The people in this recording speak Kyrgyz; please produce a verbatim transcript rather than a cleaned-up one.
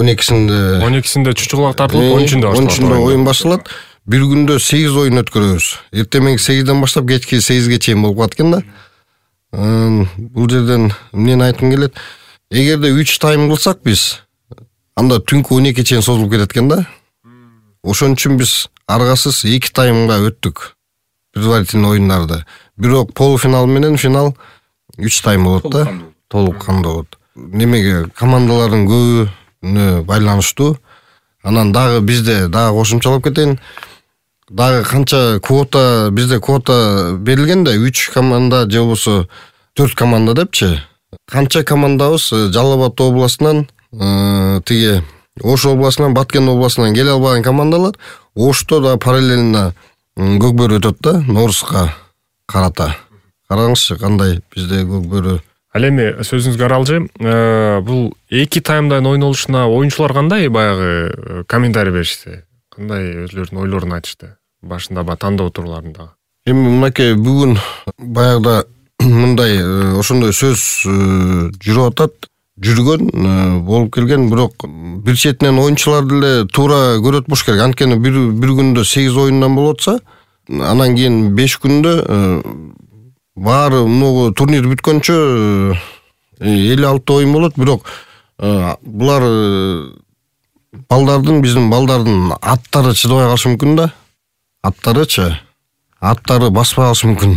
он экисинде он экисинде чучуклак тартылып, он үчүндө он үчүндө оюн башталат. Бир күндө сегиз оюн өткөрөбүз. Эртең сегизден баштап кечки сегизге чейин болуп калат экен да. Бул жерден эмнени айткым келет? Эгерде үч тайм кылсак биз, анда түнкү он экиге чейин созулуп кетет экен да. Ошон үчүн биз аргасыз эки таймга өттүк предварительный оюндарды. Бирок полуфинал менен финал үч тайм болот да. Толук кандуу болот. Немеге командалардын көбүнө байланыштуу. Анан дагы бизде дагы кошумчалап кетейин. Дагы канча квота, бизде квота берилген да, үч команда же болбосо төрт команда депчи. Канча командабыз Жалал Абад областынан, тиги Ош областынан, Баткен областынан келе албаган командалар Ошто да параллельно көкбөрү өтөт да, Норузга карата. Караңызчы кандай бизде көкбөрү. Ал эми сөзүңүзгө аралжы, бул эки таймдан ойнолушуна оюнчулар кандай баягы комментарий беришти? Кандай өзлөрүнүн ойлорун айтышты? Башында ба тандоо турларында. Эми мынакей бүгүн баягыда мындай ошондой сөз жүрүп атат, жүргөн болуп келген, бирок бир четинен оюнчулар деле туура көрөт болуш керек. Анткени бир бир күндө сегиз оюндан болуп атса, анан кийин беш күндө баары могу турнир бүткөнчө элүү алты оюн болот, бирок булар балдардын, биздин балдардын аттары чыдабай калышы мүмкүн да. Аттарычы, аттары баспай калышы мүмкүн.